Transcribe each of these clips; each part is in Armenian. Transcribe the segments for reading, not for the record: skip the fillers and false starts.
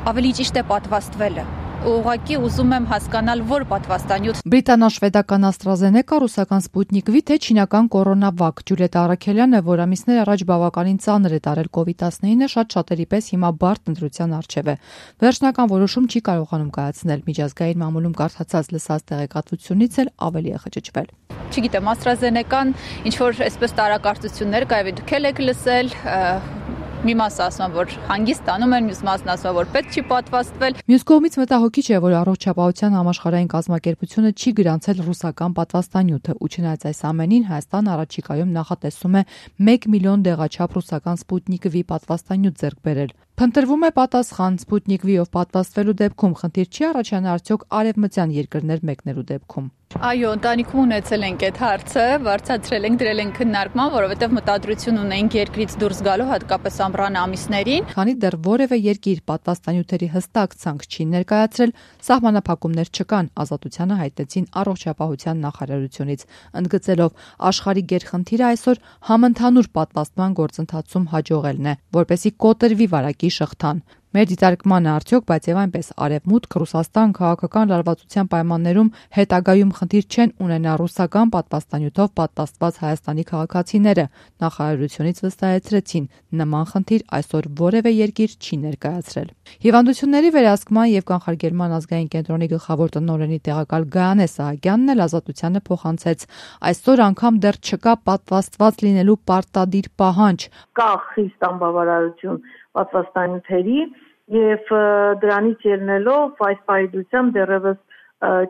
ավելի ճիշտ է պատվաստվելը։ Ուղղակի ուզում եմ հասկանալ, որ պատվաստանյութ։ Բրիտանա-շվեդական AstraZeneca, ռուսական Sputnik V, թե չինական կորոնավակ։ Ջուլիետա Արաքելյանը, որ ամիսներ առաջ բավականին ծանր է տարել COVID-19-ը, շատերի պես հիմա բարդ ընտրության առջև է։ Վերջնական որոշում չի կարողանում կայացնել։ Միջազգային մամուլում կարդացած լսած տեղեկատվությունից էլ ավելի է խճճվել։ Չգիտեմ, AstraZeneca-ն ինչ-որ այսպես տարակարծություններ կայ դուք եք լսել, մի մասը ասում որ հանգիստ տանում են, մյուս մասն ասում որ պետք չի պատվաստվել։ Մյուս կողմից մտահոգիչ է, որ Առողջապահության համաշխարհային կազմակերպությունը չի գրանցել ռուսական պատվաստանյութը, ու չնայած այս ամենին Հայաստան առաջիկայում նախատեսում է 1 միլիոն դեղաչափ ռուսական Sputnik V պատվաստանյութ ձեռք բերել։ Փնտրվում է պատասխան Sputnik V-ով պատվաստվելու դեպքում խնդիր չի առաջանա արդյոք արևմտյան երկրներ մեկնելու դեպքում։ Այո, ընտանիքում ունեցել ենք այդ հարցը, բարձրացրել ենք, դրել ենք քննարկման, որովհետև մտադրություն ունենք երկրից դուրս գալու, հատկապես ամռան ամիսներին։ Քանի դեռ որևէ երկիր պատվաստանյութերի հստակ ցանկ չի ներկայացրել, սահմանափակումներ չկան, Ազատությանը հայտնեցին Առողջապահության նախարարությունից, ընդգծելով աշխարհի գերխնդիրը այսօր համընդհանուր պատվաստման գործընթացում հաջողելն է, որպեսզի կոտրվի վարակի շղթան։ Մեր դիտարկմանը արդյոք, բայց եւ այնպես Արևմուտք, Ռուսաստան քաղաքական լարվածության պայմաններում հետագայում խնդիր չեն ունենա ռուսական պատվաստանյութով պատվաստված Հայաստանի քաղաքացիները, նախարարությունից վստահեցրեցին, նման խնդիր այսօր որևէ երկիր չի ներկայացրել։ Հիվանդությունների վերահսկման եւ կանխարգելման ազգային կենտրոնի գլխավոր տնօրենի տեղակալ Գայանե Սահակյանն էլ Ազատությանը փոխանցեց. այսօր անգամ դեռ չկա պատվաստված լինելու պարտադիր պահանջ։ Կա խիստ անբավարարություն պատվաստանյութերի եւ դրանից ելնելով այս պայծությամբ դեռևս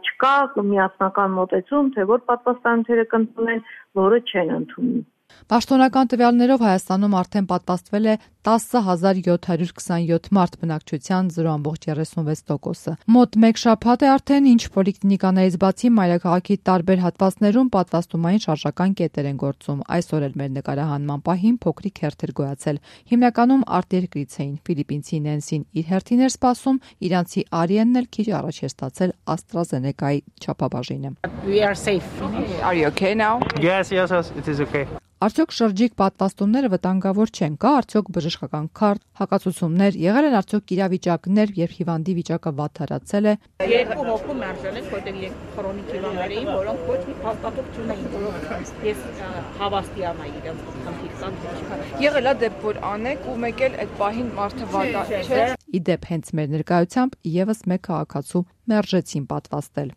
չկա միասնական մոտեցում, թե որ պատվաստանյութերը կընդունեն, որը չեն ընդունում։ Պաշտոնական տվյալներով Հայաստանում արդեն պատվաստվել է 10,727 մարդ, բնակչության 0,36%-ը։ Մոտ 1 շաբաթ է արդեն, ինչ պոլիկլինիկաներից բացի մայրաքաղաքի տարբեր հատվածներում պատվաստումային շարժական կետեր են գործում։ Այսօր էլ մեր նկարահանման պահին փոքրիկ հերթեր գոյացել։ Հիմնականում արտերկրից էին։ Ֆիլիպինցի Նենսին իր հերթին էր սպասում, իրանցի Արիենն էլ քիչ առաջ էր ստացել AstraZeneca-ի չափաբաժինը։ We are safe. Are you okay now? Yes, it is okay. Արդյոք շրջիկ պատվաստումները վտանգավոր չեն, կա արդյոք բժշկական քարտ, հակացուցումներ, եղել են արդյոք իրավիճակներ, երբ հիվանդի վիճակը վատթարացել է։ Երկու հոգու մերժել են, որտեղ քրոնիկ հիվանդներ էին, որոնք ոչ մի փաստաթուղթ չունեին, որոնք ես հավաստիանա իրենց խնդիր կան, թե չկա։ Եղել է դեպք, որ անեք ու մեկ էլ այդ պահին մարդը վատա չէ։ Իդեպ հենց մեր ներկայությամբ եւս մեկ քաղաքացու մերժեցին պատվաստել։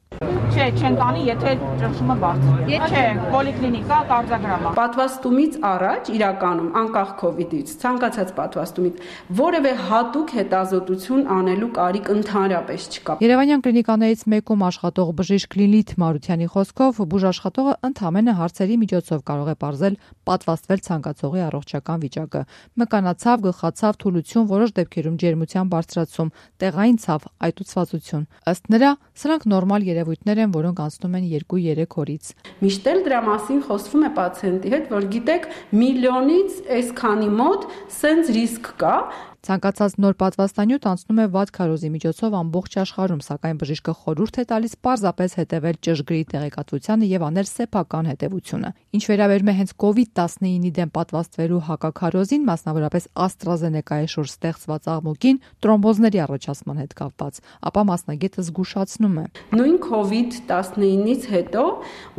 Չէ, չեն տանի, եթե ճնշումը բարձր է։ Չէ, պոլիկլինիկա, կարձագրամա։ Պատվաստումից առաջ իրականում անկախ COVID-ից, ցանկացած պատվաստումից որևէ հատուկ հետազոտություն անելու կարիք ընդհանրապես չկա։ Երևանյան կլինիկաներից մեկում աշխատող բժիշկ Լիլիթ Մարությանի խոսքով բուժաշխատողը ընդհանրապես հարցերի միջոցով կարող է պարզել պատվաստվել ցանկացողի առողջական վիճակը։ Մկանացավ, գլխացավ, թուլություն, որոշ դեպքերում ջերմության բարձրացում, տեղային ցավ, այտուցվածություն։ Ըստ նրա, սրանք նորմալ երևույթներ են, որոնք անցնում են 2-3 օրից։ Միշտ էլ դրա մասին խոսվում է պացիենտի հետ, որ գիտեք, միլիոնից այսքանի մոտ սենց ռիսկ կա։ Ցանկացած նոր պատվաստանյութ անցնում է վատ քարոզի միջոցով ամբողջ աշխարհում, սակայն բժիշկը խորհուրդ է տալիս պարզապես հետևել ճշգրիտ տեղեկատվությանը եւ անել սեփական հետեւությունը։ Ինչ վերաբերում է հենց COVID-19-ի դեմ պատվաստվելու հակաքարոզին, մասնավորապես AstraZeneca-ի շուրջ ստեղծված աղմուկին, տրոմբոզների առաջացման հետ կապված, ապա մասնագետը զգուշացնում է. Նույն COVID-19-ից հետո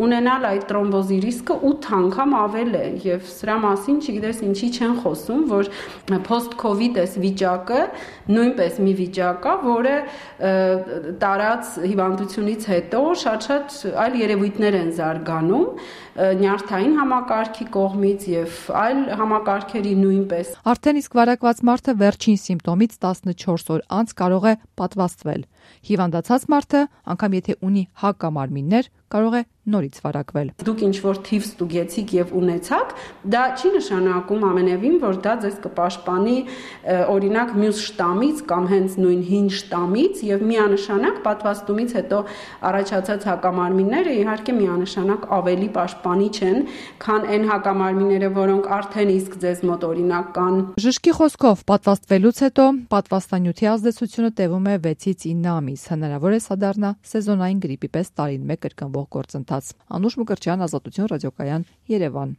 ունենալ այդ տրոմբոզի ռիսկը 8 անգամ ավել է եւ սրա մասին չգիտես ինչի չեն խոսում, որ post-COVID վիճակը նույնպես մի վիճակ է, որը տարած հիվանդությունից հետո շատ այլ երևույթներ են զարգանում նյարդային համակարգի կողմից եւ այլ համակարգերի նույնպես։ Արդեն իսկ վարակված մարդը վերջին սիմպտոմից 14 օր անց կարող է պատվաստվել։ Հիվանդացած մարդը, անգամ եթե ունի հակամարմիններ, կարող է նորից վարակվել։ Դուք ինչ որ թիվ ստուգեցիք եւ ունեցաք, դա չի նշանակում ամենևին, որ դա ձեզ կպաշտպանի օրինակ մյուս շտամից կամ հենց նույն հին շտամից եւ միանշանակ պատվաստումից հետո առաջացած հակամարմինները իհարկե միանշանակ ավելի պաշտպանիչ են, քան այն հակամարմինները, որոնք արդեն իսկ ձեզ մոտ օրինակ կան։ Բժշկի խոսքով պատվաստվելուց հետո պատվաստանյութի ազդեցությունը տևում է 6-ից 9 ամիս, հնարավոր է սա դառնա սեզոնային գրիպի պես տարին մեկ կրկնվող գործընթաց։ Անուշ Մկրտչյան, Ազատություն ռադիոկայան, Երևան։